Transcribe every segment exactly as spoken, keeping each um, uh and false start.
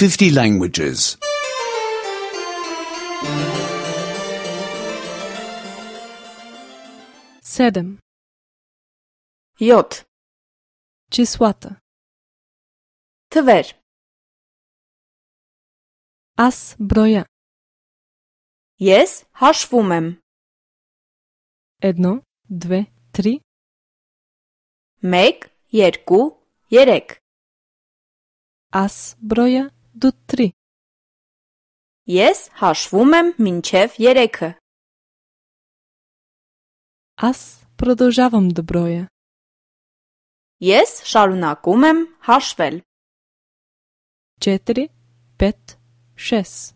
fifty languages. седем. Йод. Числата. Твер. Аз броя. Ես հաշվում եմ. Едно, две, три. Մեկ, երկու, երեք. Аз броя до три. Ես հաշվում եմ մինչև երեքը. Аз продължавам да броя. Ես շարունակում եմ հաշվել. четири, пет, шест.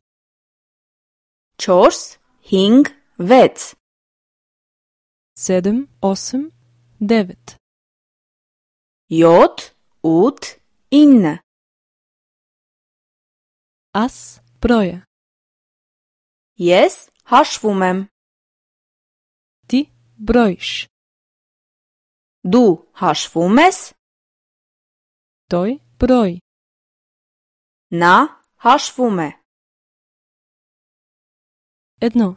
չորս, հինգ, վեց. седем, осем, девет. յոթ, ութ, ինը. Аз броя. Ես հաշվում եմ. Ти броиш. Դու հաշվում ես. Той брои. Նա հաշվում է. Едно,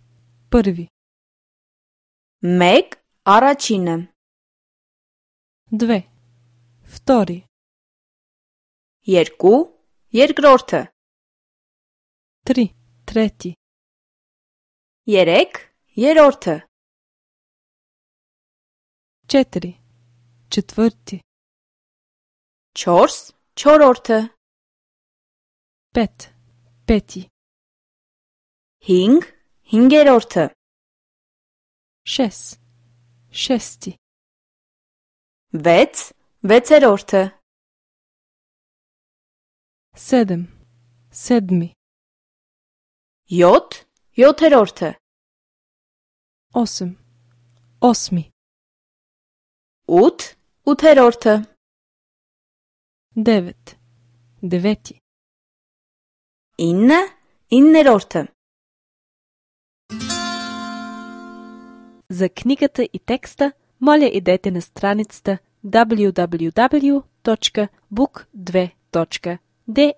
първи. Մեկ, առաջինը. Две, втори. Երկու, երկրորդը. Три, трети. Երեք, երրորդը. четири, четвърти. չորս, չորրորդը. пет, пети. հինգ, հինգերորդը. шест, шести. վեց, վեցերորդը. седем, седми. յոթ, յոթերորդը. осем, осми. ութ, ութերորդը. девет, девети. ինը, իններորդը. За книгата и текста, моля идете на страницата даблю даблю даблю точка бук две точка де